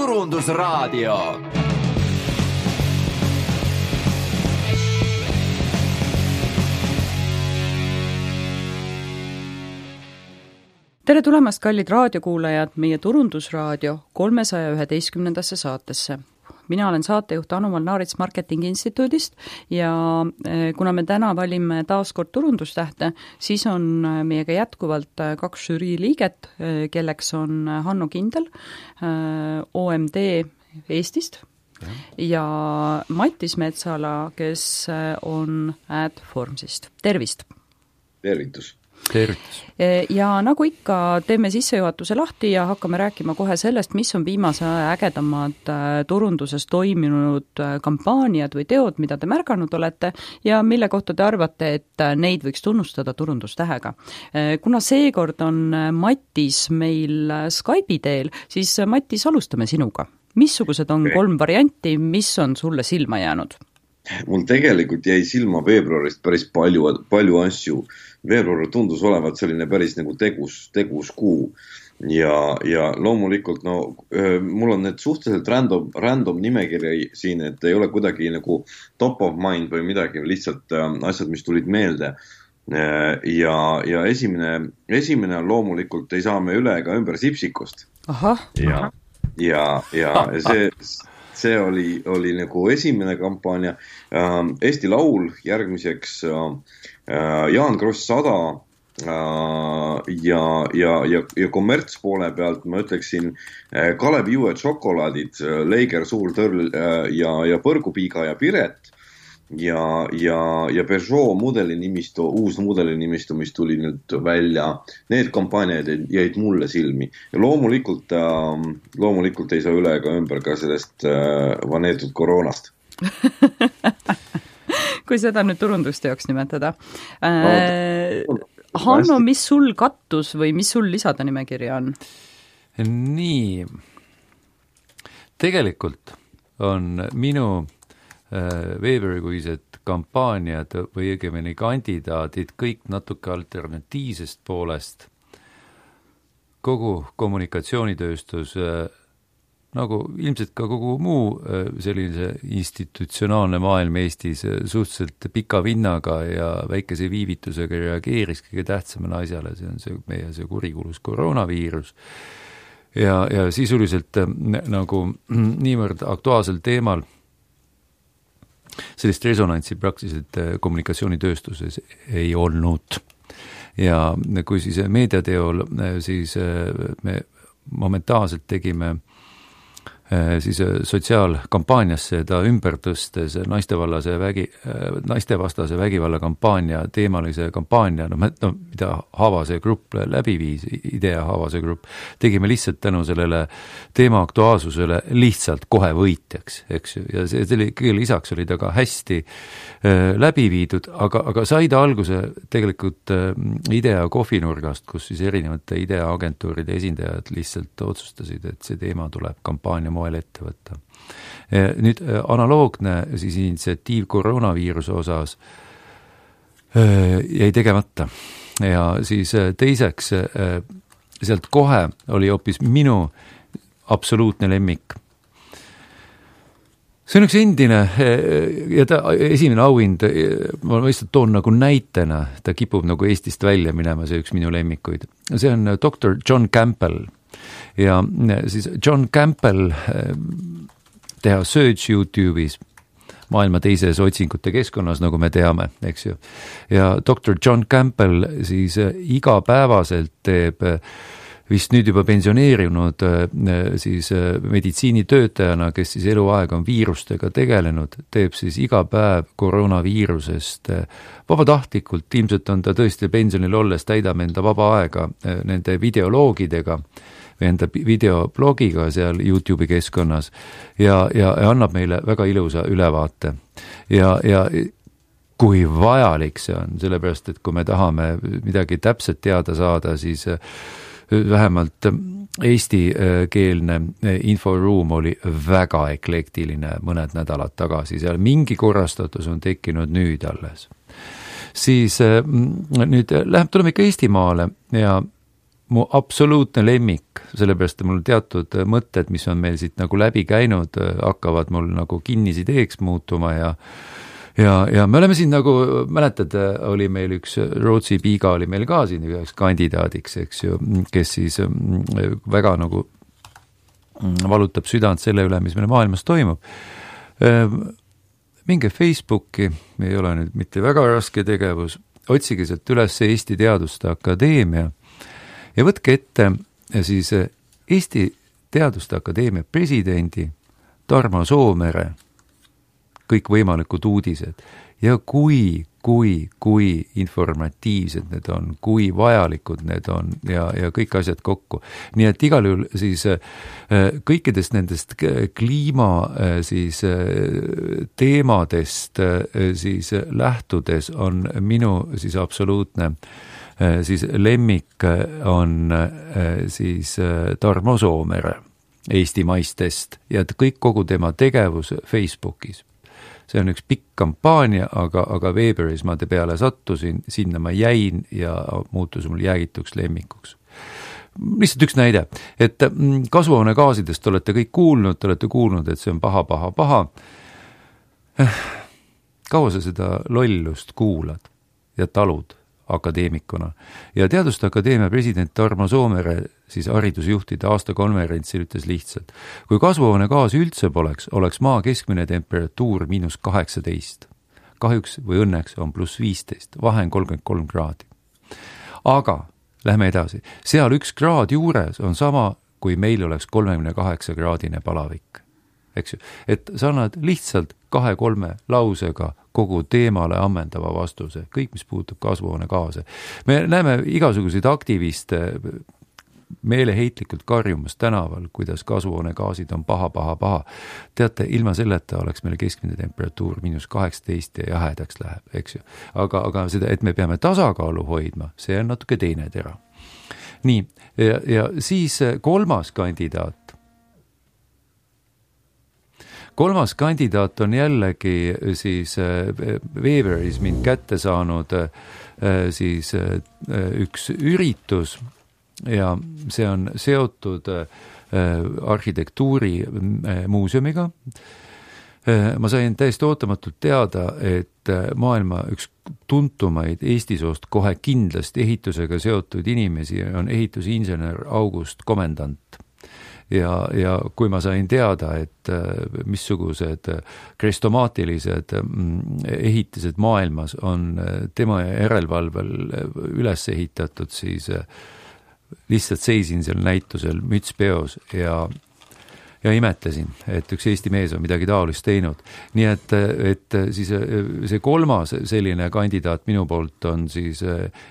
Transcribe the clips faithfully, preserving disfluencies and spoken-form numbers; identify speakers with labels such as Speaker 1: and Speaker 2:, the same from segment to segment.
Speaker 1: Turundusraadio.
Speaker 2: Tere tulemast, kallid raadiokuulajad, meie Turundusraadio kolmesaja üheteistkümnendasse saatesse. Mina olen saatejuht Anu Malnaarits Marketingi Instituudist ja kuna me täna valime taas kord turundustähte, siis on meiega jätkuvalt kaks žürii liiget, kelleks on Hanno Kindel O M D Eestist ja, ja Mattis Metsala, kes on Adformsist. Tervist!
Speaker 3: Tervitus!
Speaker 4: Tervitus.
Speaker 2: Ja nagu ikka, teeme sissejuhatuse lahti ja hakkame rääkima kohe sellest, mis on viimase aja ägedamad turunduses toiminud kampaaniad või teod, mida te märganud olete ja mille kohta te arvate, et neid võiks tunnustada turundustähega. Kuna seekord on Mattis meil Skype'i teel, siis Mattis, alustame sinuga. Missugused on kolm varianti, mis on sulle silma jäänud?
Speaker 3: Mul tegelikult jäi silma veebruarist päris palju, palju asju. Veebruar tundus olevat selline päris nagu tegus, tegus kuu ja, ja loomulikult no, mul on need suhteliselt random, random nimekirja siin, et ei ole kuidagi nagu top of mind või midagi, lihtsalt asjad, mis tulid meelde. Ja, ja esimene, esimene on loomulikult ei saa me üle ega ümber Sipsikust.
Speaker 2: Aha.
Speaker 3: Ja, ja, ja see... See oli, oli nagu esimene kampaania. Eesti Laul järgmiseks Jaan Kross sada ja, ja, ja, ja kommertspoole pealt ma ütleksin Kalev Juue Tšokolaadid, Leiger Suur Tõrl ja, ja Põrgupiiga ja Piret ja, ja, ja Peugeot mudelinimistu, uus mudelinimistu, mis tuli nüüd välja. Need kampaaniad jäid mulle silmi. Ja loomulikult, loomulikult ei saa üle ega ümber ka sellest vaneetud koroonast.
Speaker 2: Kui seda nüüd turundusteoks nimetada. Äh, Hanno, mis sul kattus või mis sul lisada nimekirja on?
Speaker 4: Nii. Tegelikult on minu veebruarikuised kampaaniad või õigemini kandidaadid kõik natuke alternatiivsest poolest. Kogu kommunikatsioonitööstus, nagu ilmselt ka kogu muu sellise institutsionaalne maailm Eestis suhteliselt pika vinnaga ja väikese viivitusega reageeris kõige tähtsamale asjale, see on see meie see kurikulus koroonaviirus. Ja, ja sisuliselt nagu niivõrd aktuaalsel teemal sellist resonantsi praktiliselt kommunikatsioonitööstuses ei olnud. Ja kui siis meediateol, siis me momentaalselt tegime siis sotsiaalkampaaniasse ta ümber tõstes naistevallase vägi, naistevastase vägivalla kampaania, teemalise kampaania, no, no mida Haavase grupp läbi viis, Idea Haavase grupp, tegime lihtsalt tänu sellele teema aktuaalsusele lihtsalt kohe võitjaks, eks ju, ja see, see kõige lisaks oli ta ka hästi äh, läbi viidud, aga, aga sai ta alguse tegelikult äh, Idea kohvinurgast, kus siis erinevate Idea agentuuride esindajad lihtsalt otsustasid, et see teema tuleb kampaania moel ette võtta. Nüüd analoogne siis initsiatiiv koroonaviiruse osas jäi tegemata ja siis teiseks sealt kohe oli hoopis minu absoluutne lemmik. See on üks endine ja ta esimene auhind, ma lihtsalt toon nagu näitena, ta kipub nagu Eestist välja minema, see üks minu lemmikuid. See on doktor John Campbell. Ja siis John Campbell teha search YouTube'is maailma teises otsingute keskkonnas, nagu me teame, eks ju. Ja doktor John Campbell siis igapäevaselt teeb vist nüüd juba pensioneerinud siis meditsiinitöötajana, kes siis eluaeg on viirustega tegelenud, teeb siis iga päev koroonaviirusest vabatahtlikult, ilmselt on ta tõesti pensionil olles, täidab enda vaba aega nende videoloogidega või enda videoblogiga seal YouTube'i keskkonnas ja, ja, ja annab meile väga ilusa ülevaate. Ja, ja kui vajalik see on, sellepärast, et kui me tahame midagi täpselt teada saada, siis vähemalt eestikeelne inforuum oli väga eklektiline mõned nädalad tagasi, seal mingi korrastatus on tekkinud nüüd alles. Siis nüüd läheb, tuleme ikka Eestimaale ja mu absoluutne lemmik, sellepärast mul teatud mõtted, mis on meil siit nagu läbi käinud, hakkavad mul nagu kinnisideeks muutuma ja ja, ja me oleme siin nagu, mäletad, oli meil üks Rootsi piiga oli meil ka siin üheks kandidaadiks, eks ju, kes siis väga nagu valutab südant selle üle, mis meil maailmas toimub. Minge Facebooki, ei ole nüüd mitte väga raske tegevus, otsige sealt üles Eesti Teaduste Akadeemia ja võtke ette siis Eesti Teaduste Akadeemia presidendi Tarmo Soomere kõik võimalikud uudised ja kui, kui, kui informatiivsed need on, kui vajalikud need on ja, ja kõik asjad kokku. Nii et igal juhul siis kõikidest nendest kliima siis teemadest siis lähtudes on minu siis absoluutne siis lemmik on siis Tarmo Soomere eestimaistest ja kõik kogu tema tegevus Facebookis. See on üks pikk kampaania, aga, aga Weberis ma te peale sattusin, sinna ma jäin ja muutus mul jäägituks lemmikuks. Lihtsalt üks näide, et kasvuhoonegaasidest olete kõik kuulnud, te olete kuulnud, et see on paha, paha, paha. Kaua sa seda lollust kuulad ja talud akadeemikuna? Ja Teaduste Akadeemia president Tarmo Soomere siis haridusjuhtide aastakonverentsil ütles lihtsalt, kui kasvuhoonegaasi üldse poleks, oleks maa keskmine temperatuur miinus kaheksateist. Kahjuks või õnneks on pluss viisteist, vahe on kolmkümmend kolm kraadi. Aga lähme edasi. Seal üks kraad juures on sama, kui meil oleks kolmekümne kaheksa kraadine palavik. Eks ju? Et sa annad lihtsalt kahe-kolme lausega kogu teemale ammendava vastuse, kõik, mis puutub kasvuhoonegaase. Me näeme igasuguseid aktiviste meeleheitlikult karjumas tänaval, kuidas kasvuhoonegaasid on paha, paha, paha. Teate, ilma selleta oleks meil keskmine temperatuur miinus kaheksateist ja jahedaks läheb, eks ju. Aga, aga seda, et me peame tasakaalu hoidma, see on natuke teine tera. Nii, ja, ja siis kolmas kandidaat. Kolmas kandidaat on jällegi siis Weberis mind kätte saanud siis üks üritus ja see on seotud arhitektuuri muuseumiga. Ma sain täiesti ootamatult teada, et maailma üks tuntumaid Eesti soost kohe kindlasti ehitusega seotud inimesi on ehitusinsener August Komendant. Ja, ja kui ma sain teada, et missugused krestomaatilised ehitised maailmas on tema järelevalvel üles ehitatud, siis lihtsalt seisin seal näitusel müts peos ja, ja imetlesin, et üks Eesti mees on midagi taolist teinud. Nii et, et siis see kolmas selline kandidaat minu poolt on siis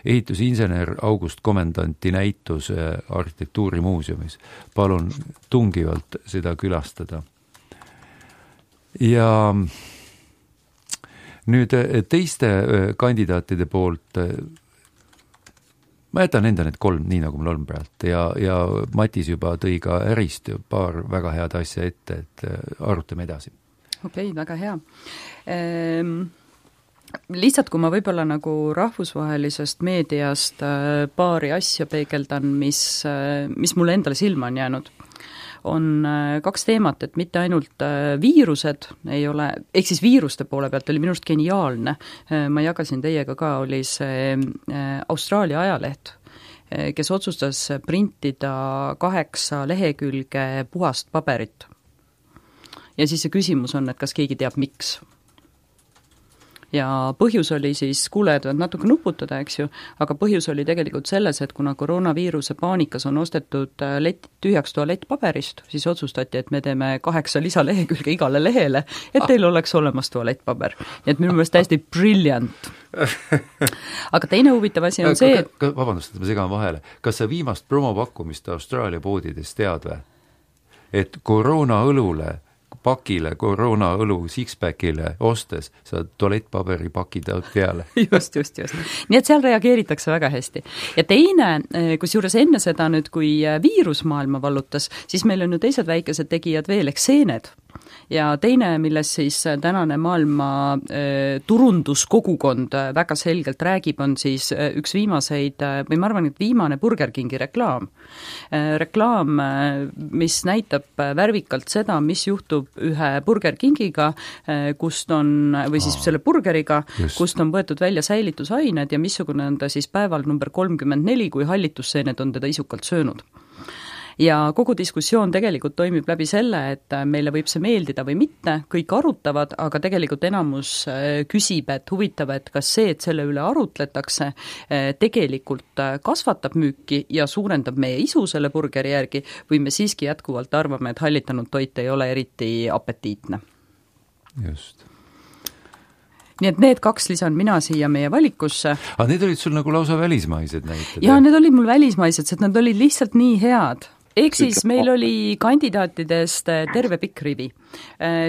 Speaker 4: ehitusinsener August Komendanti näitus arhitektuurimuuseumis. Palun tungivalt seda külastada. Ja nüüd teiste kandidaatide poolt ma jätan enda need kolm, nii nagu mul on praegu. Ja, ja Matis juba tõi ka ärist paar väga head asja ette, et arutame edasi.
Speaker 2: Okei, väga hea. Ehm, lihtsalt, kui ma võib-olla nagu rahvusvahelisest meediast paari asja peegeldan, mis, mis mulle endale silma on jäänud, on kaks teemat, et mitte ainult viirused ei ole, ehk siis viiruste poole pealt oli minust geniaalne, ma jagasin teiega ka, oli see Austraalia ajaleht, kes otsustas printida kaheksa lehekülge puhast paberit. Ja siis see küsimus on, et kas keegi teab miks. Ja põhjus oli siis, kuulejad võivad natuke nuputada, eks ju, aga põhjus oli tegelikult selles, et kuna koroonaviiruse paanikas on ostetud lett, tühjaks tualettpaberist, siis otsustati, et me teeme kaheksa lisalehekülge igale lehele, et teil oleks olemas tualettpaber. Nii et minu meelest täiesti brilliant. Aga teine huvitav asi on see, et...
Speaker 4: Vabandust, et ma segan vahele. Kas sa viimast promopakkumist Austraalia poodides tead või? Et koroona õlule pakile, koroona õlu six-packile ostes, sa tualettpaberi pakid peale.
Speaker 2: Just, just, just. Nii et seal reageeritakse väga hästi. Ja teine, kus juures enne seda nüüd, kui viirusmaailma vallutas, siis meil on ju teised väikesed tegijad veel, ehk seened. ja teine, milles siis tänane maailma turunduskogukond väga selgelt räägib, on siis üks viimaseid, või ma arvan, et viimane Burger Kingi reklaam. Reklaam, mis näitab värvikalt seda, mis juhtub ühe Burger Kingiga, kust on, või siis selle burgeriga, Just. kust on võetud välja säilitusained ja missugune on ta siis päeval number kolmkümmend neli, kui hallitusseened on teda isukalt söönud. Ja kogu diskussioon tegelikult toimib läbi selle, et meile võib see meeldida või mitte, kõik arutavad, aga tegelikult enamus küsib, et huvitav, et kas see, et selle üle arutletakse, tegelikult kasvatab müüki ja suurendab meie isu selle burgeri järgi või me siiski jätkuvalt arvame, et hallitanud toit ei ole eriti apetiitne.
Speaker 4: Just.
Speaker 2: Nii et need kaks lisan mina siia meie valikusse.
Speaker 4: Aga need olid sul nagu lausa välismaised näited?
Speaker 2: Jaa, need olid mul välismaised, sest nad olid lihtsalt nii head. Ehk siis meil oli kandidaatidest terve pikk rivi.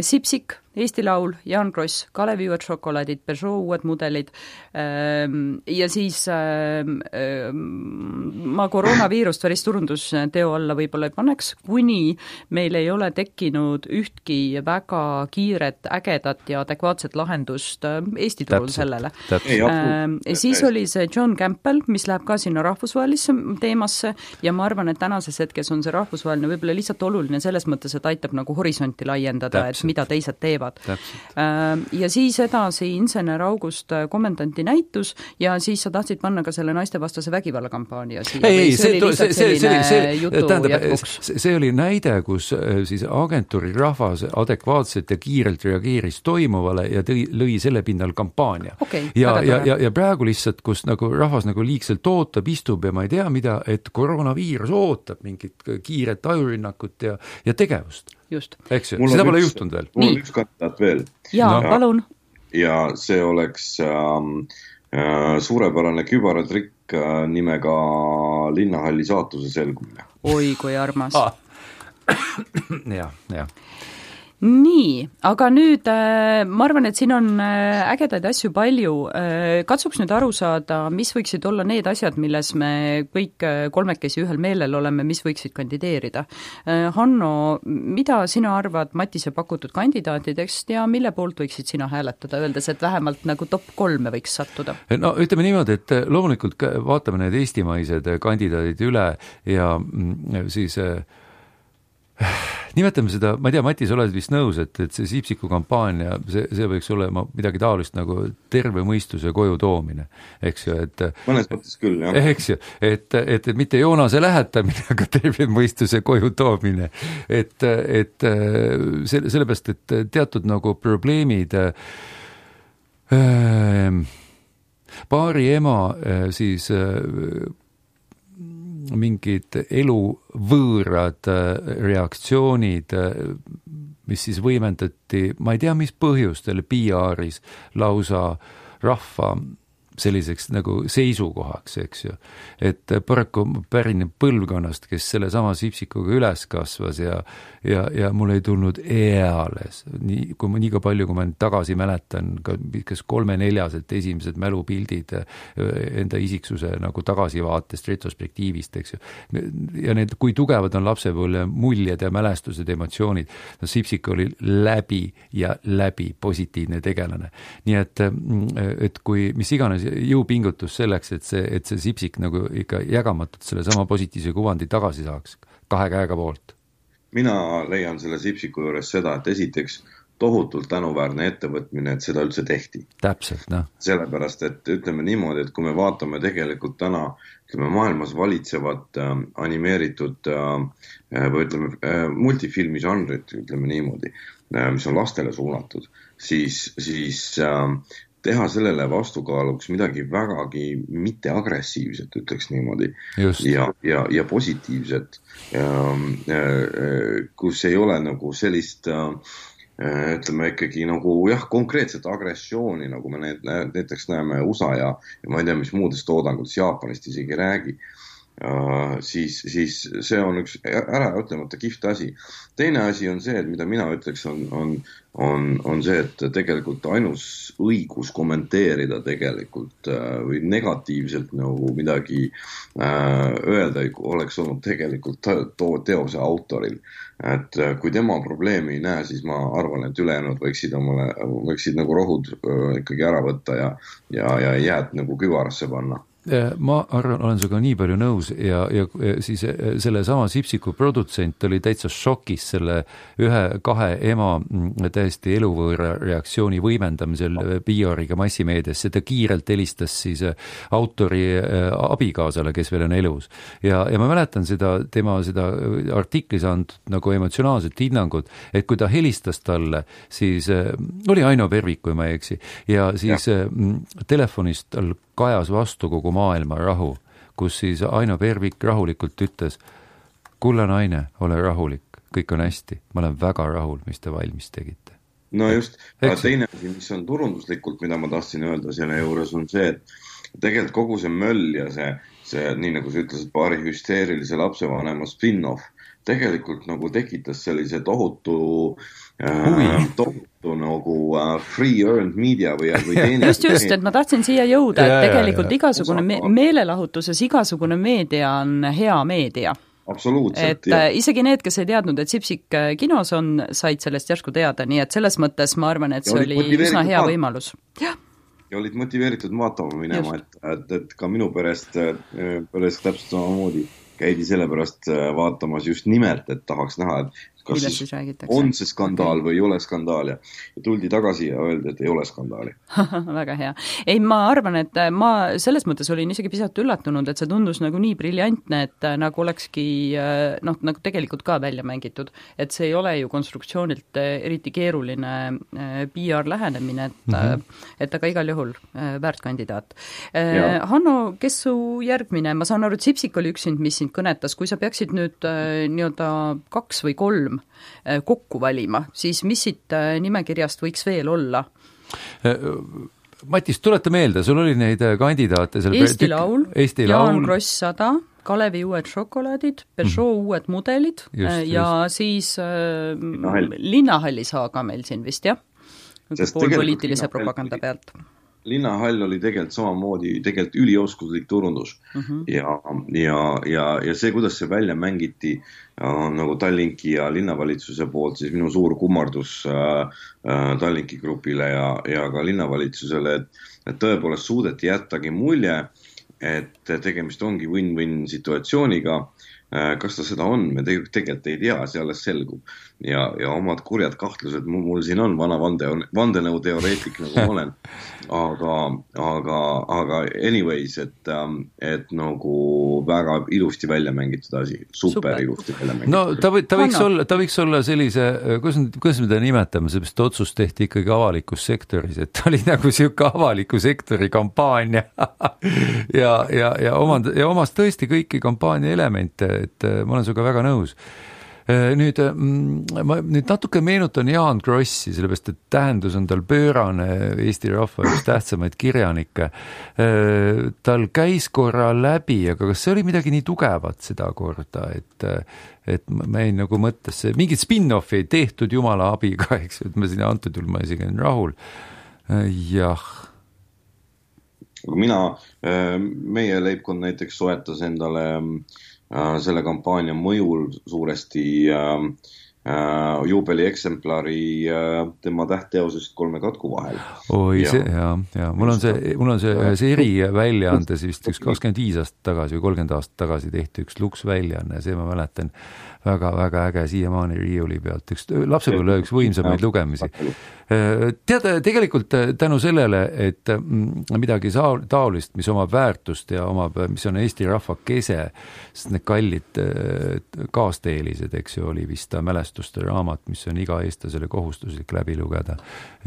Speaker 2: Sipsik, Eesti Laul, Jaan Kross, Kalevi uued šokolaadid, Peugeot uued mudelid ja siis ma koroonaviirust päris turundusteo alla võib-olla ei paneks, kuni meil ei ole tekkinud ühtki väga kiiret, ägedat ja adekvaatset lahendust Eesti turul täpselt, sellele. Täpselt. Siis oli see John Campbell, mis läheb ka sinna rahvusvahelisse teemasse ja ma arvan, et tänases hetkes on see rahvusvaheline võib-olla lihtsalt oluline selles mõttes, et aitab nagu horisonti laiendada, täpselt. Et mida teised teevad. Täpselt. Ja siis edasi Insener August komendanti näitus ja siis sa tahtsid panna ka selle naistevastase vägivalla kampaania siia.
Speaker 4: Ei, see, see, see, see, see, tähendab, see oli näide, kus siis agentuuri rahvas adekvaatselt ja kiirelt reageeris toimuvale ja tõi, lõi selle pinnal kampaania.
Speaker 2: Okay,
Speaker 4: ja, ja, ja, ja praegu lihtsalt, kus nagu rahvas nagu liigselt ootab, istub ja ma ei tea mida, et koroonaviirus ootab mingit kiiret ajurinnakut ja, ja tegevust.
Speaker 2: Just.
Speaker 4: Eks ju, seda pole juhtunud veel.
Speaker 3: Mul on üks kandidaat veel.
Speaker 2: Jaa, no. palun.
Speaker 3: Ja see oleks ähm, äh, suurepärane kübaratrikk äh, nimega Linnahalli saatuse selgumine.
Speaker 2: Oi, kui armas.
Speaker 4: Ah. ja, ja.
Speaker 2: Nii, aga nüüd ma arvan, et siin on ägedaid asju palju. Katsuks nüüd aru saada, mis võiksid olla need asjad, milles me kõik kolmekesi ühel meelel oleme, mis võiksid kandideerida. Hanno, mida sina arvad Matise pakutud kandidaatidest ja mille poolt võiksid sina hääletada, öeldes, et vähemalt nagu top kolme võiks sattuda?
Speaker 4: No ütleme niimoodi, et loomulikult vaatame need eestimaised kandidaadid üle ja siis nimetame seda, ma ei tea, Matis, oled vist nõus, et, et see Sipsiku kampaania, see, see võiks olema midagi taolist nagu terve mõistuse koju toomine, eks ju, et
Speaker 3: mõnes mõttes küll, jah.
Speaker 4: Eks ju, et, et, et mitte Joonase lähetamine, aga terve mõistuse koju toomine, et, et selle, sellepärast, et teatud nagu probleemid äh, paari ema äh, siis äh, mingid eluvõõrad reaktsioonid, mis siis võimendati, ma ei tea, mis põhjustel P R-is lausa rahva selliseks nagu seisukohaks, eks ju. Et paraku pärineb põlvkonnast, kes selle sama Sipsikuga üles kasvas ja, ja, ja mul ei tulnud eales, nii, kui ma nii ka palju, kui ma tagasi mäletan, kas kolme-neljaselt esimesed mälupildid enda isiksuse nagu tagasivaatest, retrospektiivist, eks ju. Ja need, kui tugevad on lapsepõlve muljed ja mälestused, emotsioonid, no Sipsik oli läbi ja läbi positiivne tegelane. Nii et, et kui mis iganes jõupingutus selleks, et see, et see Sipsik nagu ikka jägamatult selle sama positiivse kuvandi tagasi saaks kahe käega poolt.
Speaker 3: Mina leian selle Sipsiku juures seda, et esiteks tohutult tänuväärne ettevõtmine, et seda üldse tehti.
Speaker 4: Täpselt, noh.
Speaker 3: Sellepärast, et ütleme niimoodi, et kui me vaatame tegelikult täna, ütleme maailmas valitsevat äh, animeeritud äh, või ütleme äh, multifilmi žanrit, ütleme niimoodi, äh, mis on lastele suunatud, siis, siis äh, teha sellele vastukaaluks midagi vägagi mitte agressiivset, ütleks niimoodi, ja, ja, ja positiivset, kus ei ole nagu sellist, ütleme ikkagi nagu jah, konkreetset agressiooni, nagu me need, näiteks näeme U S A ja, ja ma ei tea, mis muudest toodangutest Jaapanist isegi räägi. Uh, siis, siis see on üks ära ütlemata kihvt asi. Teine asi on see, et mida mina ütleks, on, on, on, on see, et tegelikult ainus õigus kommenteerida tegelikult uh, või negatiivselt nagu midagi uh, öelda oleks olnud tegelikult to- teose autoril. Et uh, kui tema probleemi ei näe, siis ma arvan, et ülejäänud võiksid, omale, võiksid nagu rohud uh, ikkagi ära võtta ja, ja, ja jääd nagu küvarasse panna.
Speaker 4: Ma arvan, olen sinuga nii palju nõus ja, ja siis selle sama Sipsiku produtsent oli täitsa šokis selle ühe, kahe ema täiesti eluvõõra reaktsiooni võimendamisel P R-iga massimeediasse. Ta kiirelt helistas siis autori abikaasale, kes veel on elus. Ja, ja ma mäletan seda, tema seda artiklis antud nagu emotsionaalset hinnangut, et kui ta helistas talle, siis oli Aino Pervik, kui ma ei eksi, ja siis ja. telefonist tal kajas vastu kogu maailma rahu, kus siis Aino Pervik rahulikult ütles, kulla naine, ole rahulik, kõik on hästi, ma olen väga rahul, mis te valmis tegite.
Speaker 3: No just, aga teine asi, mis on turunduslikult, mida ma tahtsin öelda selle juures, on see, et tegelikult kogu see möll ja see, see nii nagu sa ütlesid, paari hüsteerilise lapsevanema spin-off tegelikult nagu tekitas sellise tohutu äh, tohutu nagu uh, free earned media või, või teenis.
Speaker 2: Just, just, et ma tahtsin siia jõuda, et tegelikult igasugune me- meelelahutuses, igasugune meedia on hea meedia.
Speaker 3: Absoluutselt.
Speaker 2: Et ja. Isegi need, kes ei teadnud, et Sipsik kinos on, said sellest järsku teada, nii et selles mõttes ma arvan, et see oli üsna hea vaat- võimalus. Jah.
Speaker 3: Ja olid motiveeritud vaatama minema, et, et, et ka minu perest, perest täpselt samamoodi käidi sellepärast vaatamas just nimelt, et tahaks näha, et kas siis, siis on see skandaal okay. või ei ole skandaal ja tuldi tagasi ja öeldi, et ei ole skandaali.
Speaker 2: Väga hea. Ei, ma arvan, et ma selles mõttes olin isegi pisat üllatunud, et see tundus nagu nii briljantne, et nagu olekski noh, nagu tegelikult ka välja mängitud, et see ei ole ju konstruktsioonilt eriti keeruline P R lähenemine, et, mm-hmm. et aga igal juhul väärt kandidaat. Ja. Hanno, kes su järgmine? Ma saan aru, et Sipsik oli üks sind, mis sind kõnetas. Kui sa peaksid nüüd nii-öelda kaks või kolm kokku valima, siis mis siit nimekirjast võiks veel olla?
Speaker 4: Matis, tuleta meelde, sul oli neid kandidaate seal
Speaker 2: Eesti Laul,
Speaker 4: Eesti
Speaker 2: Jaan
Speaker 4: Laul.
Speaker 2: Kross sada, Kalevi uued šokolaadid, Peugeot mm. uued mudelid just, ja just. Siis äh, Linnahall. Linnahalli saaga meil siin vist, jah? Pool poliitilise propaganda pealt.
Speaker 3: Linnahall oli tegelikult samamoodi tegelikult ülioskuslik turundus uh-huh. ja, ja, ja, ja see, kuidas see välja mängiti on nagu Tallinki ja linnavalitsuse poolt, siis minu suur kummardus äh, äh, Tallinki grupile ja, ja ka linnavalitsusele, et, et tõepoolest suudeti jättagi mulje, et tegemist ongi win-win situatsiooniga. Kas ta seda on, me tegelikult ei tea, see alles selgub. Ja, ja omad kurjad kahtlused, mul, mul siin on vana vande, vandenõu teoreetik, nagu ma olen. Aga, aga, aga anyways, et, et nagu väga ilusti välja mängitud asi. Super, Super. ilusti välja mängitud.
Speaker 4: No ta, või, ta, võiks olla, ta võiks olla sellise, kuidas, kuidas me ta nimetame, seepärast otsus tehti ikkagi avalikus sektoris, et ta oli nagu siuke avaliku sektori kampaania ja, ja, ja, omand, ja omas tõesti kõiki kampaania elemente, et ma olen sinuga väga nõus. Nüüd, ma nüüd natuke meenutan Jaan Krossi, sellepärast, et tähendus on tal pöörane Eesti rahva üks tähtsamaid kirjanikke. Tal käis korra läbi, aga kas see oli midagi nii tugevat seda korda, et, et ma ei nagu mõttes, mingid spin-offi ei tehtud jumala abiga, eks, et ma siin antud juhul ma isegi olen rahul. Jah.
Speaker 3: Mina, meie leibkond näiteks soetas endale selle kampaania mõjul suuresti äh, äh, juubeli eksemplari äh, tema tähtteosest kolme katku vahel.
Speaker 4: Oi, ja, see, ja, ja. Mul on see, mul on see ühes eri väljaandes vist üks kakskümmend viis aastat tagasi või kolmkümmend aastat tagasi tehti üks luks väljaanne, see ma mäletan väga, väga äge siiamaani riiuli pealt, üks lapsepõlve üks võimsamaid lugemisi. Tead, tegelikult tänu sellele, et midagi taolist, mis omab väärtust ja omab, mis on Eesti rahva kese, sest need kallid kaasteelised, eks ju, oli vist ta mälestuste raamat, mis on iga eestlasele kohustuslik läbi lugeda.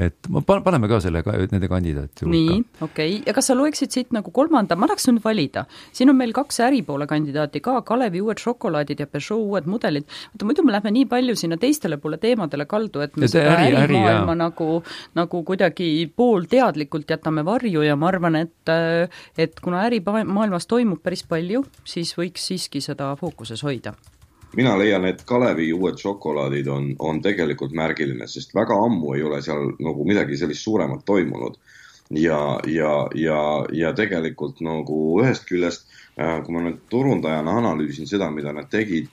Speaker 4: Et ma paneme ka selle, nende kandidaati hulka.
Speaker 2: Nii, okei. Okay. Ja kas sa loeksid siit nagu kolmanda? Ma tahaks nüüd valida. Siin on meil kaks äripoole kandidaati ka, Kalevi uued šokolaadid ja Peugeot uued mudelid. Muidu me lähme nii palju sinna teistele poole teemadele kaldu, et me
Speaker 4: ja
Speaker 2: seda
Speaker 4: äri,
Speaker 2: ärimaailma äri, nagu, nagu kuidagi poolteadlikult jätame varju ja ma arvan, et, et kuna ärimaailmas toimub päris palju, siis võiks siiski seda fookuses hoida.
Speaker 3: Mina leian, et Kalevi uued šokolaadid on, on tegelikult märgiline, sest väga ammu ei ole seal nagu midagi sellist suuremat toimunud. Ja, ja, ja, ja tegelikult nagu ühest küljest, kui ma nüüd turundajana analüüsin seda, mida nad tegid,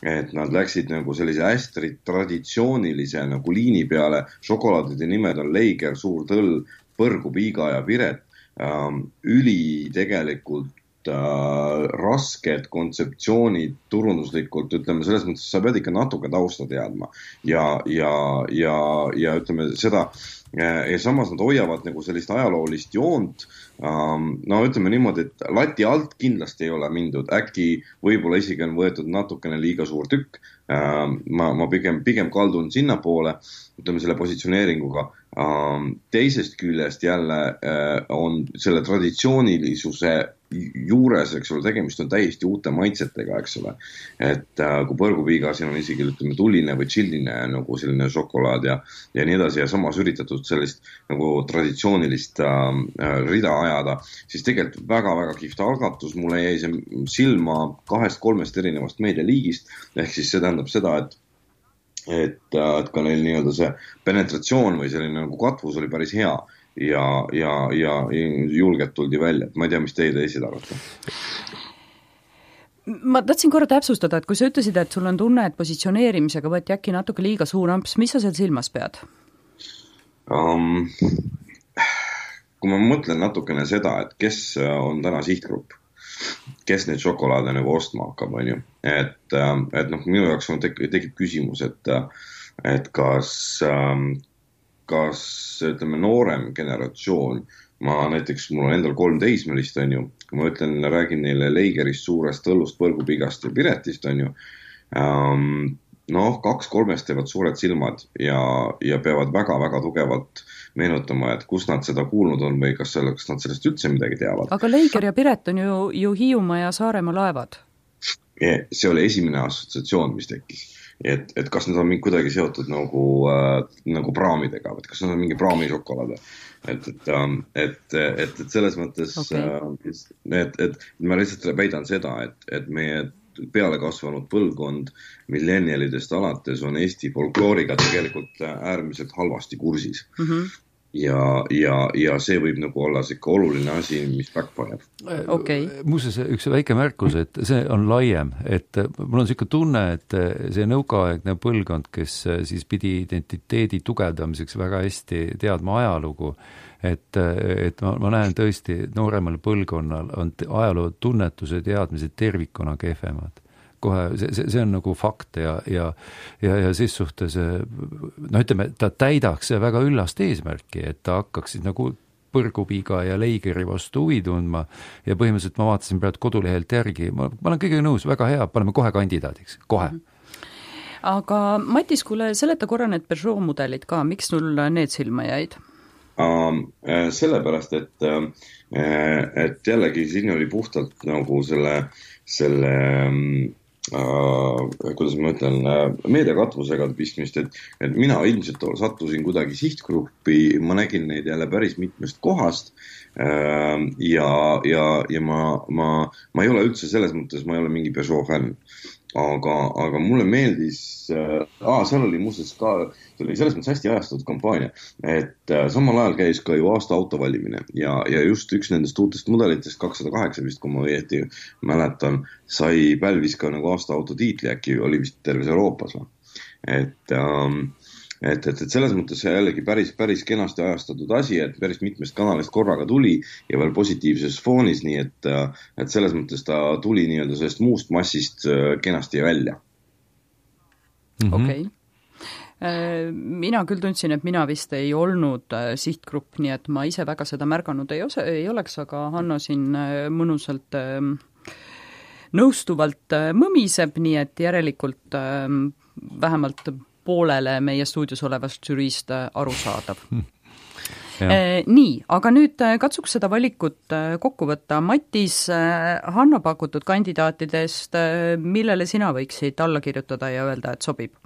Speaker 3: et nad läksid nagu sellise hästi traditsioonilise nagu liini peale, šokolaadide nimed on Leiger, Suur Tõll, Põrgu, Piiga ja Piret, üli tegelikult äh, rasked kontseptsioonid turunduslikult, ütleme selles mõttes, sa pead ikka natuke tausta teadma ja, ja, ja, ja ütleme seda, ja samas nad hoiavad nagu sellist ajaloolist joont, no ütleme niimoodi, et lati alt kindlasti ei ole mindud, äkki võib-olla isegi on võetud natukene liiga suur tükk, ma, ma pigem, pigem kaldun sinna poole, ütleme selle positsioneeringuga, teisest küljest jälle on selle traditsioonilisuse juures, eks ole, tegemist on täiesti uute maitsetega, eks ole, et kui Põrgupiiga siin on isegi, ütleme, tuline või tšilline nagu selline šokolaad ja, ja nii edasi ja samas üritatud sellist nagu traditsioonilist äh, rida ajada, siis tegelikult väga-väga kihvt algatus, mulle jäi see silma kahest-kolmest erinevast meedialiigist, ehk siis see tähendab seda, et et, et ka neil nii-öelda see penetratsioon või selline nagu katvus oli päris hea ja, ja, ja julgelt tuldi välja, et ma ei tea, mis teie teised arvate.
Speaker 2: Ma tahtsin korra täpsustada, et kui sa ütlesid, et sul on tunne, et positsioneerimisega võeti äkki natuke liiga suur amps, mis sa seal silmas pead? Um,
Speaker 3: kui ma mõtlen natukene seda, et kes on täna sihtgrupp, kes neid šokolaade nagu ostma hakkab, on ju. Et, et noh, minu jaoks on tek- tekib küsimus, et, et kas, kas, ütleme, noorem generatsioon, ma näiteks, mul on endal kolm teismelist, on ju, kui ma ütlen, räägin neile Leigerist, Suurest Tõllust, Põrgupigast ja Piretist, on ju, noh, kaks-kolmest teevad suured silmad ja, ja peavad väga-väga tugevalt meenutama, et kus nad seda kuulnud on või kas, selle, kas nad sellest üldse midagi teavad.
Speaker 2: Aga Leiger ja Piret on ju, ju Hiiumaa ja Saaremaa laevad.
Speaker 3: See oli esimene assotsiatsioon, mis tekkis. Et, et kas nad on mingi kuidagi seotud nagu, äh, nagu praamidega, et kas nad on mingi praamišokolaade. Et, et, et, et, et selles mõttes, okay. et, et ma lihtsalt väidan seda, et, et meie peale kasvanud põlvkond millenialidest alates on Eesti folklooriga tegelikult äärmiselt halvasti kursis. Mm-hmm. Ja, ja, ja see võib nagu olla siuke oluline asi, mis backfire.
Speaker 2: Okay.
Speaker 4: Muuseas, üks väike märkus, et see on laiem, et mul on siuke tunne, et see nõukaaegne põlvkond, kes siis pidi identiteedi tugevdamiseks väga hästi teadma ajalugu, et, et ma, ma näen tõesti nooremal põlvkonnal on ajaloo tunnetuse teadmised tervikuna kehvemad. Kohe, see, see, see on nagu fakt ja, ja, ja, ja siis suhtes, no ütleme, ta täidaks väga üllast eesmärki, et ta hakkaks siis nagu Põrgupiiga ja Leigeri vastu huvi tundma ja põhimõtteliselt ma vaatasin praegu kodulehelt järgi, ma, ma olen kõige nõus, väga hea, paneme kohe kandidaadiks, kohe.
Speaker 2: Aga Matis, kuule, seleta korra need Peugeot mudelid ka, miks sul need silma jäid?
Speaker 3: Uh, sellepärast, et, et jällegi siin oli puhtalt nagu selle, selle Uh, kuidas ma ütlen, meediakatvusega pistmist, et, et mina ilmselt sattusin kuidagi sihtgruppi, ma nägin neid jälle päris mitmest kohast uh, ja, ja, ja ma, ma, ma ei ole üldse selles mõttes, ma ei ole mingi Peugeot fänn. Aga, aga mulle meeldis, äh, aa, seal oli muuseas ka, see oli selles mõttes hästi ajastatud kampaania, et äh, samal ajal käis ka ju aasta auto valimine ja, ja just üks nendest uutest mudelitest, kakssada kaheksa vist, kui ma õieti mäletan, sai pälvis ka nagu aasta auto tiitli, äkki oli vist terves Euroopas. Et, ähm, et, et, et selles mõttes jällegi päris, päris kenasti ajastatud asi, et päris mitmest kanalist korraga tuli ja veel positiivses foonis, nii et, et selles mõttes ta tuli nii-öelda sellest muust massist kenasti välja.
Speaker 2: Mm-hmm. Okei. Okay. Mina küll tundsin, et mina vist ei olnud sihtgrupp, nii et ma ise väga seda märganud ei, ose, ei oleks, aga Hanno siin mõnusalt nõustuvalt mõmiseb, nii et järelikult vähemalt poolele meie stuudios olevast žüriist aru saadav. Eh, nii, aga nüüd katsuks seda valikut kokku võtta. Matis, Hanno pakutud kandidaatidest, millele sina võiksid alla kirjutada ja öelda, et sobib?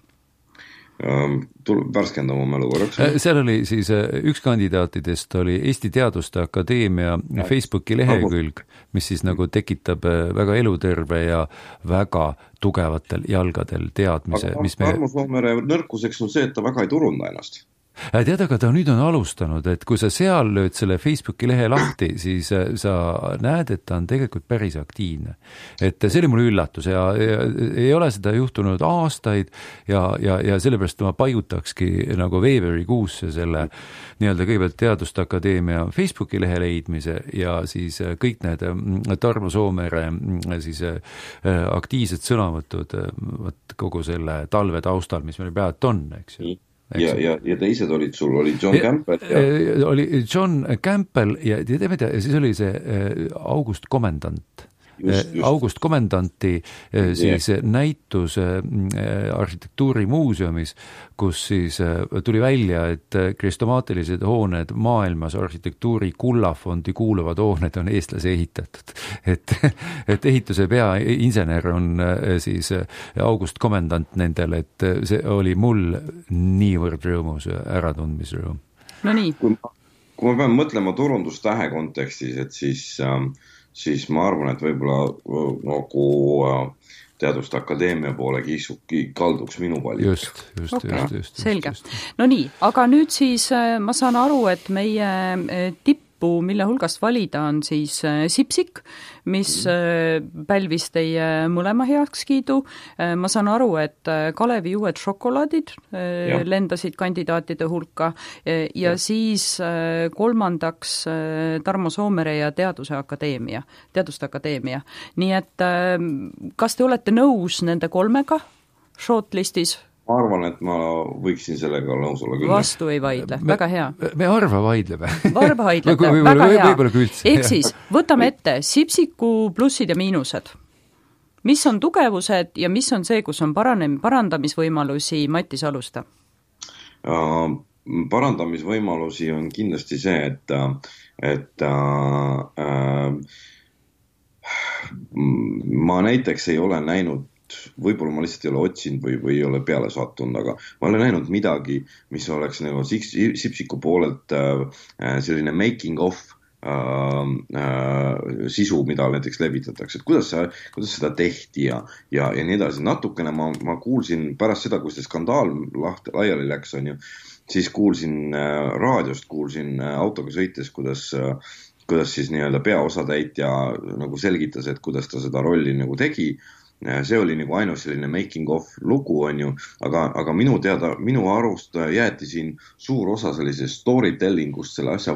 Speaker 3: värskenda oma mälu korraks.
Speaker 4: Seal oli siis üks kandidaatidest oli Eesti Teaduste Akadeemia Facebooki lehekülg, mis siis nagu tekitab väga eluterve ja väga tugevatel jalgadel teadmise.
Speaker 3: Aga Tarmo Soomere nõrkuseks on see, et ta väga ei turunda ennast.
Speaker 4: Tead, aga ta nüüd on alustanud, et kui sa seal lööd selle Facebooki lehe lahti, siis sa näed, et ta on tegelikult päris aktiivne. Et see oli mul üllatus ja, ja ei ole seda juhtunud aastaid ja, ja, ja sellepärast ma paigutakski nagu veebruarikuusse selle nii-öelda kõigepealt Teaduste Akadeemia Facebooki lehe leidmise ja siis kõik need Tarmo Soomere siis aktiivsed sõnavõtud kogu selle talve taustal, mis meil pealt on, eks ju.
Speaker 3: Ja, ja, ja teised olid sul, oli John Campbell ja...
Speaker 4: oli John Campbell ja, ja, ja, ja siis oli see August Komendant. Just, just. August Komendanti siis yeah. näitus arhitektuurimuuseumis, kus siis tuli välja, et kristomaatilised hooned maailmas arhitektuuri kullafondi kuuluvad hooned on eestlase ehitatud. Et, et ehituse peainsener on siis August Komendant nendel, et see oli mul niivõrd rõõmus äratundmisrõõm.
Speaker 2: No nii.
Speaker 3: Kui ma, kui ma pean mõtlema turundustähe kontekstis, et siis ähm, siis ma arvan, et võib-olla nagu Teaduste Akadeemia poole kiisuki kalduks minu valik.
Speaker 4: Just, just, okay. just, just, just.
Speaker 2: Selge. No nii, aga nüüd siis ma saan aru, et meie tippu, mille hulgast valida on siis Sipsik, mis mm. pälvis teie mõlema heakskiidu. Ma saan aru, et Kalevi uued šokolaadid ja. lendasid kandidaatide hulka ja, ja siis kolmandaks Tarmo Soomere ja Teaduse Akadeemia, Teaduste Akadeemia. Nii et kas te olete nõus nende kolmega shortlistis?
Speaker 3: Ma arvan, et ma võiksin sellega nõus olla küll.
Speaker 2: Vastu ei vaidle,
Speaker 4: me,
Speaker 2: väga hea.
Speaker 4: Me arva vaidleme.
Speaker 2: Arva vaidlete, väga hea. Ehk siis, võtame ette Sipsiku plussid ja miinused. Mis on tugevused ja mis on see, kus on paranem, parandamisvõimalusi? Mattis, alusta.
Speaker 3: Uh, parandamisvõimalusi on kindlasti see, et, et uh, uh, ma näiteks ei ole näinud võib-olla ma lihtsalt ei ole otsinud või, või ei ole peale sattunud, aga ma olen näinud midagi, mis oleks nagu Sipsiku poolelt äh, selline making of äh, äh, sisu, mida näiteks levitatakse, et kuidas, sa, kuidas seda tehti ja, ja, ja nii edasi. Natukene ma, ma kuulsin pärast seda, kui see skandaal lahti, laiali läks, on ju, siis kuulsin äh, raadiost, kuulsin äh, autoga sõites, kuidas äh, kuidas siis nii-öelda peaosatäitja nagu selgitas, et kuidas ta seda rolli nagu tegi. See oli nagu ainus selline making of lugu, on ju, aga, aga minu teada, minu arust jäeti siin suur osa sellisest storytellingust selle asja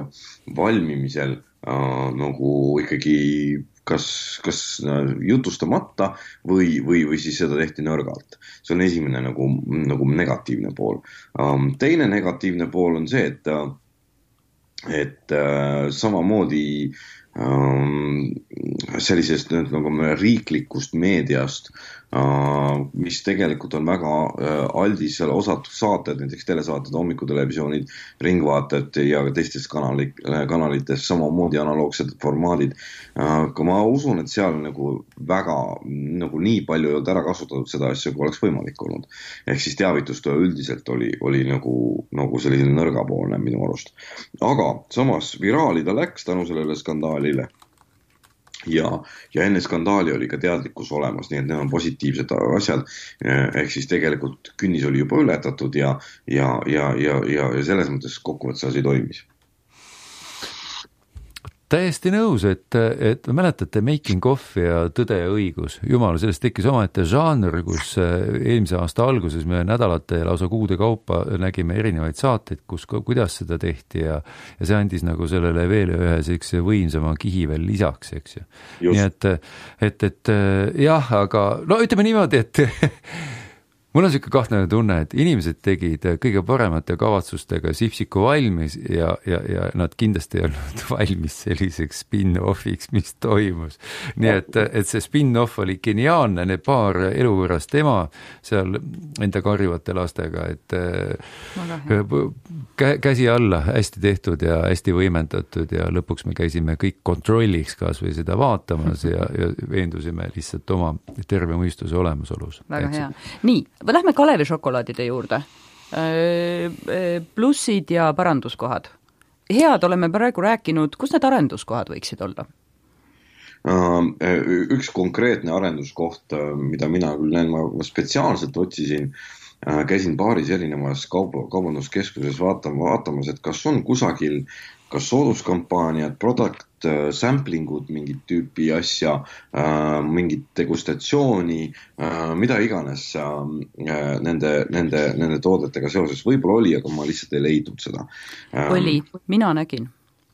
Speaker 3: valmimisel äh, nagu ikkagi kas, kas jutustamata või, või, või siis seda tehti nõrgalt. See on esimene nagu, nagu negatiivne pool. Ähm, teine negatiivne pool on see, et et äh, samamoodi ähm, sellisest nagu riiklikust meediast, äh, mis tegelikult on väga äh, aldis seal osatud saated, näiteks telesaated, hommikutelevisioonid, ringvaated ja teistes kanali, kanalites samamoodi analoogsed formaadid. Äh, kui ma usun, et seal nagu väga nagu nii palju ei olnud ära kasutatud seda asja, kui oleks võimalik olnud. Ehk siis teavitustöö üldiselt oli, oli nagu, nagu selline nõrgapoolne minu arust. Aga samas viraali ta läks tänu sellele skandaalile ja, ja enne skandaali oli ka teadlikkus olemas, nii et need on positiivsed asjad, ehk siis tegelikult künnis oli juba ületatud ja, ja, ja, ja, ja, ja selles mõttes kokkuvõttes asi toimis.
Speaker 4: Täiesti nõus, et, et mäletate Making of ja Tõde ja õigus. Jumal, sellest tekkis omaette žanr, kus eelmise aasta alguses me nädalate ja lausa kuude kaupa nägime erinevaid saateid, kus, kuidas seda tehti ja, ja see andis nagu sellele veel ühe sellise võimsama kihi veel lisaks, eks ju. Nii et, et, et jah, aga no ütleme niimoodi, et mul on selline kahtlane tunne, et inimesed tegid kõige paremate kavatsustega Sipsiku valmis ja, ja, ja nad kindlasti ei olnud valmis selliseks spin-offiks, mis toimus. Nii et, et see spin-off oli geniaalne, need paar eluvõrast ema seal enda karjuvate lastega, et kä, käsi alla, hästi tehtud ja hästi võimendatud ja lõpuks me käisime kõik kontrolliks kas või seda vaatamas ja, ja veendusime lihtsalt oma terve mõistuse olemasolus.
Speaker 2: Väga hea. Nii, lähme Kalevi šokolaadide juurde. Plussid ja paranduskohad. Head oleme praegu rääkinud, kus need arenduskohad võiksid olla?
Speaker 3: Üks konkreetne arenduskoht, mida mina küll näen, ma spetsiaalselt otsisin, käisin paaris erinevas kauba, kaubanduskeskuses vaatama, vaatamas, et kas on kusagil kas sooduskampaaniad, product samplingud, mingit tüüpi asja, mingit degustatsiooni, mida iganes nende, nende, nende toodetega seoses. Võib-olla oli, aga ma lihtsalt ei leidnud seda.
Speaker 2: Oli, mina nägin.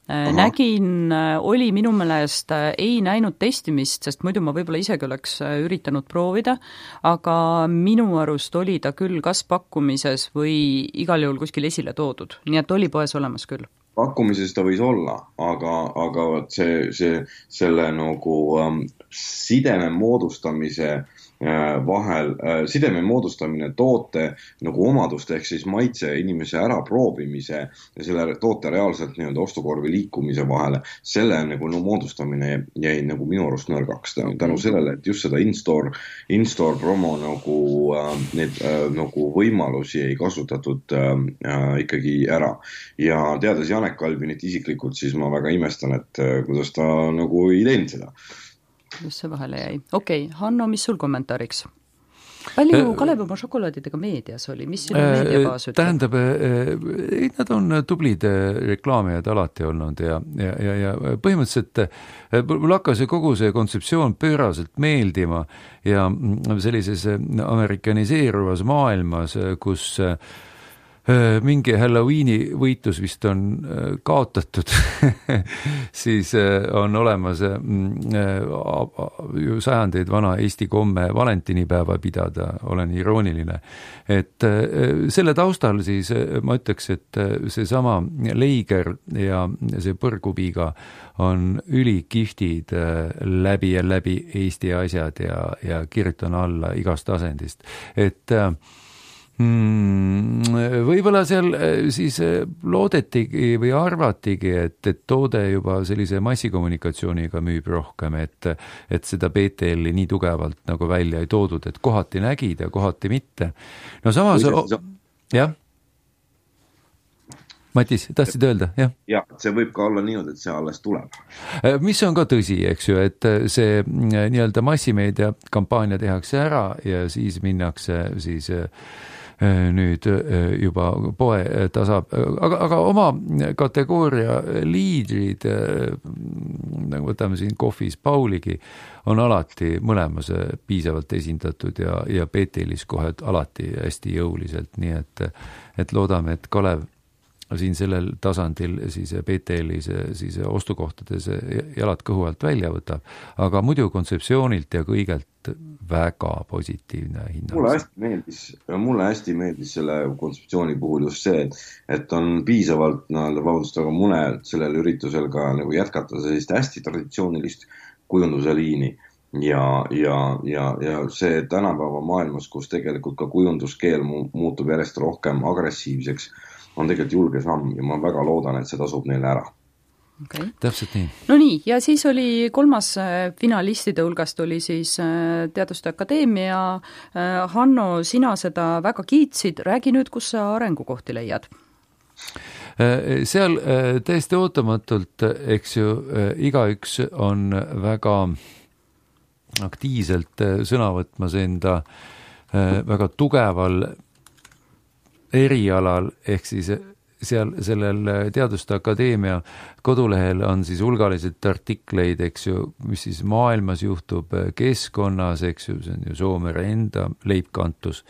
Speaker 2: Aha. Nägin, oli minu meelest, ei näinud testimist, sest muidu ma võib-olla isegi oleks üritanud proovida, aga minu arust oli ta küll kas pakkumises või igal juhul kuskil esile toodud, nii et oli poes olemas küll.
Speaker 3: Pakkumises ta võis olla, aga, aga see, see, selle nagu um, sideme moodustamise äh, vahel, äh, sideme moodustamine toote nagu omaduste ehk siis maitse inimese ära proovimise ja selle toote reaalselt nii-öelda ostukorvi liikumise vahele, selle nagu no, moodustamine jäi nagu minu arust nõrgaks tänu sellele, et just seda in-store, in-store promo nagu, äh, need äh, nagu võimalusi ei kasutatud äh, äh, ikkagi ära ja teades Janek Albinit isiklikult, siis ma väga imestan, et kuidas ta nagu ei teinud seda.
Speaker 2: Just see vahele jäi. Okei, okay. Hanno, mis sul kommentaariks? Palju Kalev oma šokolaadidega meedias oli? Mis sinu meediabaas ütleb?
Speaker 4: Tähendab, nad on tublid reklaamijad alati olnud ja, ja, ja, ja põhimõtteliselt mul hakkas kogu see kontseptsioon pööraselt meeldima ja sellises amerikaniseeruvas maailmas, kus mingi Halloweeni võitlus vist on kaotatud, siis on olemas ju sajandeid vana Eesti komme valentinipäeva pidada, olen irooniline. Et selle taustal siis ma ütleks, et see sama Leiger ja see põrgupiga on ülikihvtid läbi ja läbi Eesti asjad ja, ja kirjutan alla igast asendist. Et Hmm, võib-olla seal siis loodetigi või arvatigi, et, et toode juba sellise massikommunikatsiooniga müüb rohkem, et, et seda B T L-i nii tugevalt nagu välja ei toodud, et kohati nägid ja kohati mitte. No samas, jah? Matis, tahtsid öelda, jah?
Speaker 3: Jah, see võib ka olla niimoodi, et see alles tuleb.
Speaker 4: Mis on ka tõsi, eks ju, et see nii-öelda massimeedia kampaania tehakse ära ja siis minnakse siis nüüd juba poe tasab, aga, aga oma kategooria liidrid, nagu võtame siin kohvis Pauligi, on alati mõlemas piisavalt esindatud ja, ja B T L-is kohe alati hästi jõuliselt, nii et, et loodame, et Kalev siin sellel tasandil siis B T L-is siis ostukohtades jalad kõhu alt välja võtab, aga muidu kontseptsioonilt ja kõigelt väga positiivne hinnang.
Speaker 3: Mulle hästi meeldis, mulle hästi meeldis selle kontseptsiooni puhul just see, et, et on piisavalt no, vabandust, aga mune sellel üritusel ka nagu jätkata sellist hästi traditsioonilist kujunduse liini ja, ja, ja, ja see tänapäeva maailmas, kus tegelikult ka kujunduskeel muutub järjest rohkem agressiivseks, on tegelikult julge samm ja ma väga loodan, et see tasub neile ära.
Speaker 2: Okay.
Speaker 4: Täpselt nii.
Speaker 2: No nii, ja siis oli kolmas finalistide hulgast oli siis Teaduste Akadeemia. Hanno, sina seda väga kiitsid, räägi nüüd, kus sa arengukohti leiad?
Speaker 4: Seal täiesti ootamatult, eks ju, igaüks on väga aktiivselt sõna võtmas enda väga tugeval erialal, ehk siis seal sellel Teaduste Akadeemia kodulehel on siis hulgaliselt artikleid, eks ju, mis siis maailmas juhtub keskkonnas, eks ju, see on ju Soomere enda leibkantus.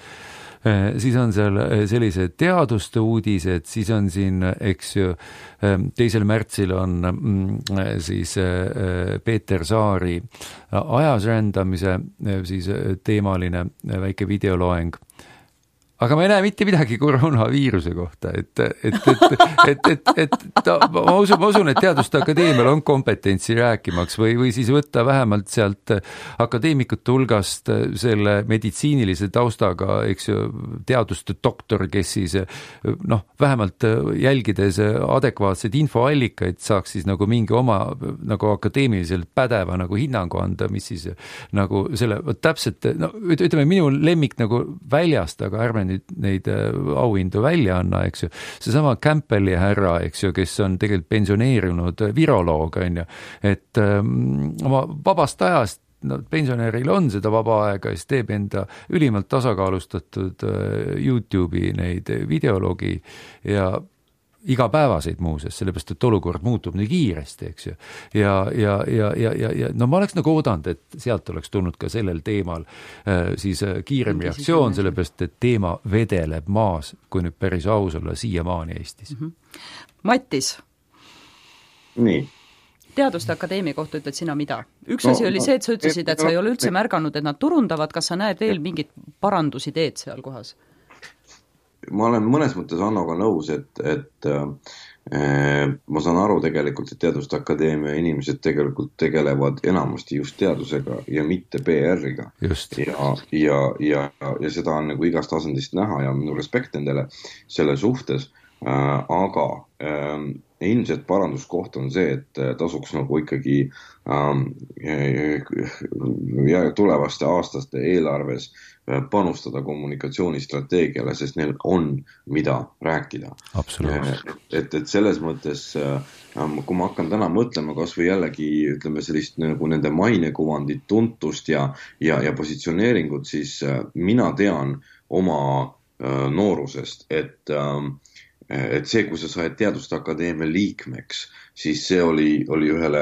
Speaker 4: Siis on seal sellised teaduste uudised, siis on siin, eks ju, teisel märtsil on siis Peeter Saari ajas rändamise siis teemaline väike videoloeng. Aga ma ei näe mitte midagi koroonaviiruse kohta, et, et, et, et, et, et ta, ma, usun, ma usun, et Teaduste Akadeemial on kompetentsi rääkimaks või, või siis võtta vähemalt sealt akadeemikute hulgast selle meditsiinilise taustaga, eks ju, teaduste doktor, kes siis noh, vähemalt jälgides adekvaatseid infoallikaid saaks siis nagu mingi oma nagu akadeemiliselt pädeva nagu hinnangu anda, mis siis nagu selle, täpselt, no ütleme, minu lemmik nagu väljast, aga ärme nüüd neid, neid auhindu välja anna, eks ju. Seesama Campbelli härra, eks ju, kes on tegelikult pensioneerinud viroloog, on ju, et ähm, oma vabast ajast no, pensionäril on seda vaba aega, siis teeb enda ülimalt tasakaalustatud YouTube'i neid videologi ja igapäevaseid muuses, sellepärast, et olukord muutub nii kiiresti, eks ju. Ja, ja, ja, ja, ja, ja no ma oleks nagu oodanud, et sealt oleks tulnud ka sellel teemal äh, siis kiirem reaktsioon, sellepärast, et teema vedeleb maas, kui nüüd päris aus olla, siiamaani Eestis.
Speaker 2: Mm-hmm. Mattis.
Speaker 3: Nii.
Speaker 2: Teaduste Akadeemia kohta ütled sina mida? Üks no, asi oli see, et sa ütlesid, et sa ei ole üldse märganud, et nad turundavad, kas sa näed veel mingit parandusi teed seal kohas?
Speaker 3: Ma olen mõnes mõttes Annoga nõus, et, et äh, ma saan aru tegelikult, et Teaduste Akadeemia inimesed tegelikult tegelevad enamasti just teadusega ja mitte P R-iga.
Speaker 4: Just.
Speaker 3: Ja, ja, ja, ja seda on nagu igast tasandist näha ja minu respekt nendele selle suhtes, äh, aga äh, ilmselt paranduskoht on see, et tasuks nagu ikkagi ähm, ja tulevaste aastaste eelarves panustada kommunikatsioonistrateegiale, sest neil on mida rääkida.
Speaker 4: Absoluutselt.
Speaker 3: Et, et selles mõttes, kui ma hakkan täna mõtlema kas või jällegi ütleme sellist nagu nende mainekuvandit, tuntust ja, ja, ja positsioneeringut, siis mina tean oma noorusest, et et see, kui sa said Teaduste Akadeemia liikmeks, siis see oli, oli ühele,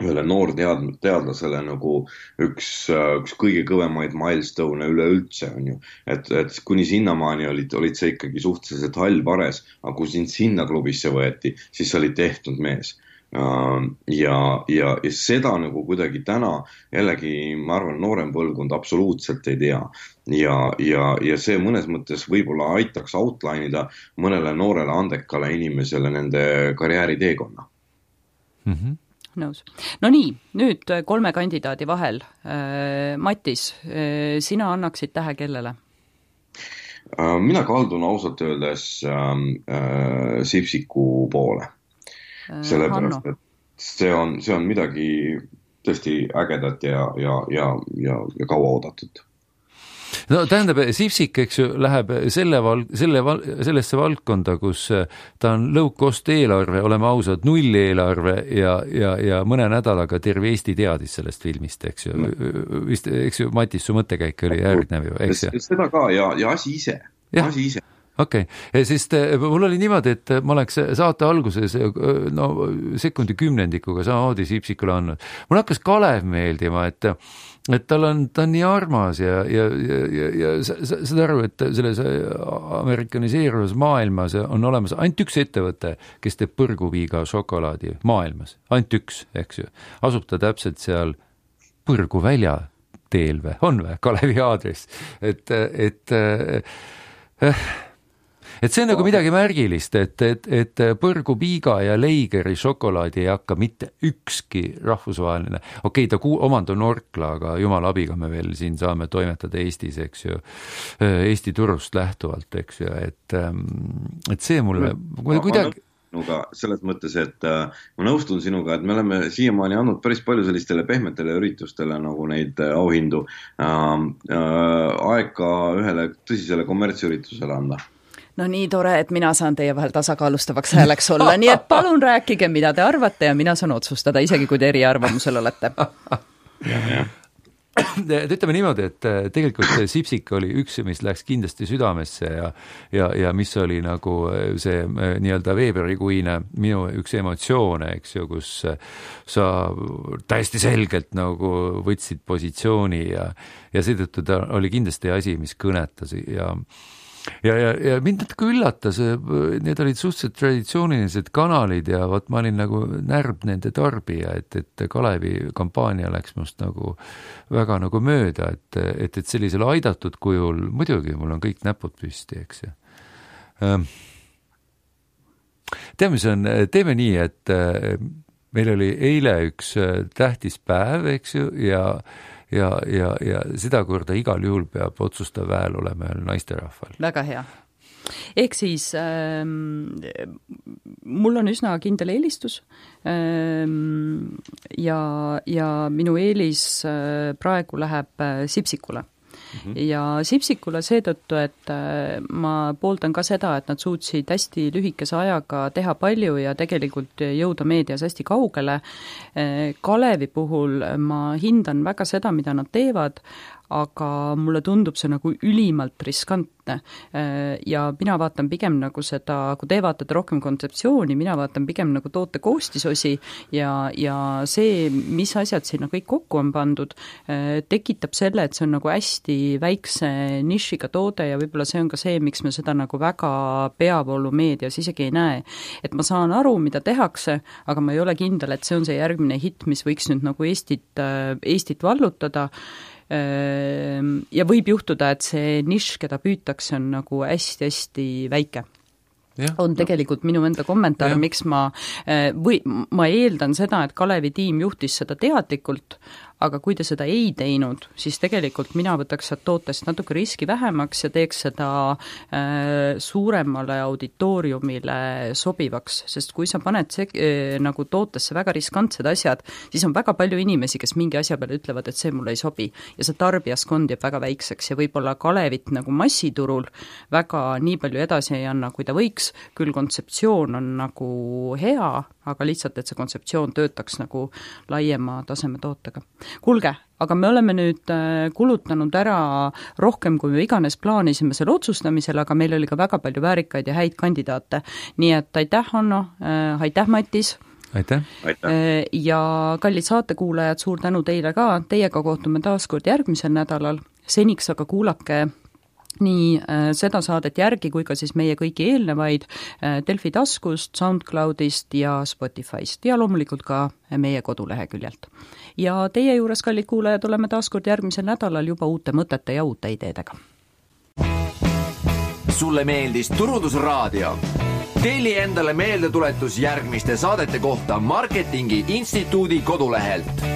Speaker 3: ühele noor tead, teadlasele nagu üks, üks kõige kõvemaid milestone üle üldse, on ju. Et, et kuni sinnamaani olid, olid see ikkagi suhteliselt hall pares, aga kui sind sinna klubisse võeti, siis sa olid tehtud mees. Ja, ja, ja seda nagu kuidagi täna jällegi, ma arvan, noorem põlvkond absoluutselt ei tea. Ja, ja, ja see mõnes mõttes võib-olla aitaks outline'ida mõnele noorele andekale inimesele nende karjääri teekonna.
Speaker 4: Mm-hmm.
Speaker 2: Nõus. No nii, nüüd kolme kandidaadi vahel. Mattis, sina annaksid tähe kellele?
Speaker 3: Mina kaldun ausalt öeldes äh, Sipsiku poole. Sellepärast, et see on, see on midagi tõesti ägedat ja, ja, ja, ja, ja kaua oodatud.
Speaker 4: No tähendab, Sipsik, eks ju, läheb selle val, selle val, sellesse valdkonda, kus ta on low-cost eelarve, oleme ausad, null eelarve ja, ja, ja mõne nädalaga terve Eesti teadis sellest filmist, eks ju. No. Vist, eks ju, Matis, su mõttekäik oli järgnev ju, eks ju.
Speaker 3: Seda ka ja, ja asi ise, ja. asi ise.
Speaker 4: Okei, okay. Sest mul oli niimoodi, et ma oleks saate alguses no, sekundi kümnendikuga samamoodi Sipsikule andnud. Mul hakkas Kalev meeldima, et, et tal on, ta on nii armas ja, ja, ja, ja, ja saad aru, et selles amerikaniseeruvas maailmas on olemas ainult üks ettevõte, kes teeb põrguviiga šokolaadi maailmas. Ainult üks, eks ju. Asub ta täpselt seal põrgu välja teel või, on või, Kalevi aadress. Et, et äh, Et see on nagu midagi märgilist, et, et, et põrgu piiga ja leigeri šokolaadi ei hakka mitte ükski rahvusvaheline. Okei, ta ku, omand on Orkla, aga jumala abiga me veel siin saame toimetada Eestis, eks ju, Eesti turust lähtuvalt, eks ju, et, et see mulle
Speaker 3: ma, kuidagi... Sinuga selles mõttes, et äh, ma nõustun sinuga, et me oleme siiamaani andnud päris palju sellistele pehmetele üritustele nagu neid äh, auhindu äh, äh, aega ühele tõsisele kommertsüritusele anda.
Speaker 2: No nii tore, et mina saan teie vahel tasakaalustavaks hääleks olla, nii et palun rääkige, mida te arvate ja mina saan otsustada, isegi kui te eriarvamusel olete.
Speaker 4: Ütleme niimoodi, et tegelikult Sipsik oli üks, mis läks kindlasti südamesse ja, ja, ja mis oli nagu see nii-öelda veebruarikuine minu üks emotsioone, eks ju, kus sa täiesti selgelt nagu võtsid positsiooni ja, ja seetõttu ta oli kindlasti asi, mis kõnetas ja Ja, ja, ja mind natuke üllatas, need olid suhteliselt traditsioonilised kanalid ja võt ma olin nagu närb nende tarbija, et, et Kalevi kampaania läks must nagu väga nagu mööda, et, et, et sellisel aidatud kujul, muidugi mul on kõik näpud püsti, eks ju. Teame, mis on, teeme nii, et meil oli eile üks tähtis päev, eks ju, ja Ja, ja, ja seda korda igal juhul peab otsustav väel olema naisterahval.
Speaker 2: Väga hea. Ehk siis ähm, mul on üsna kindel eelistus ähm, ja, ja minu eelis äh, praegu läheb äh, Sipsikule. mm-hmm. ja Sipsikule seetõttu, et ma pooldan ka seda, et nad suutsid hästi lühikese ajaga teha palju ja tegelikult jõuda meedias hästi kaugele. Kalevi puhul ma hindan väga seda, mida nad teevad, aga mulle tundub see nagu ülimalt riskantne ja mina vaatan pigem nagu seda, kui te vaatate rohkem kontseptsiooni, mina vaatan pigem nagu toote koostisosi ja, ja see, mis asjad sinna kõik kokku on pandud, tekitab selle, et see on nagu hästi väikse nišiga toode ja võib-olla see on ka see, miks me seda nagu väga peavoolu meedias isegi ei näe. Et ma saan aru, mida tehakse, aga ma ei ole kindel, et see on see järgmine hitt, mis võiks nüüd nagu Eestit, Eestit vallutada. Ja võib juhtuda, et see nišš, keda püütakse, on nagu hästi-hästi väike. Ja, on tegelikult minu enda kommentaar, ja. Miks ma, või ma eeldan seda, et Kalevi tiim juhtis seda teadlikult, aga kui te seda ei teinud, siis tegelikult mina võtaks sealt tootest natuke riski vähemaks ja teeks seda äh, suuremale auditooriumile sobivaks, sest kui sa paned see, äh, nagu tootesse väga riskantsed asjad, siis on väga palju inimesi, kes mingi asja peale ütlevad, et see mulle ei sobi ja see tarbijaskond jääb väga väikseks ja võib-olla Kalevit nagu massiturul väga nii palju edasi ei anna, kui ta võiks, küll kontseptsioon on nagu hea, aga lihtsalt, et see kontseptsioon töötaks nagu laiema taseme tootega. Kuulge, aga me oleme nüüd kulutanud ära rohkem, kui me iganes plaanisime selle otsustamisele, aga meil oli ka väga palju väärikaid ja häid kandidaate. Nii et aitäh, Hanno, aitäh, Matis.
Speaker 4: Aitäh.
Speaker 3: aitäh.
Speaker 2: Ja kallid saatekuulajad, suur tänu teile ka. Teiega kohtume taas kord järgmisel nädalal. Seniks aga kuulake nii äh, seda saadet järgi kui ka siis meie kõiki eelnevaid äh, Delfi taskust, SoundCloudist ja Spotifyst ja loomulikult ka meie koduleheküljelt. Ja teie juures, kallid kuulajad, oleme taas kord järgmisel nädalal juba uute mõtete ja uute ideedega.
Speaker 1: Sulle meeldis Turundusraadio? Telli endale meeldetuletus järgmiste saadete kohta Marketingi Instituudi kodulehelt.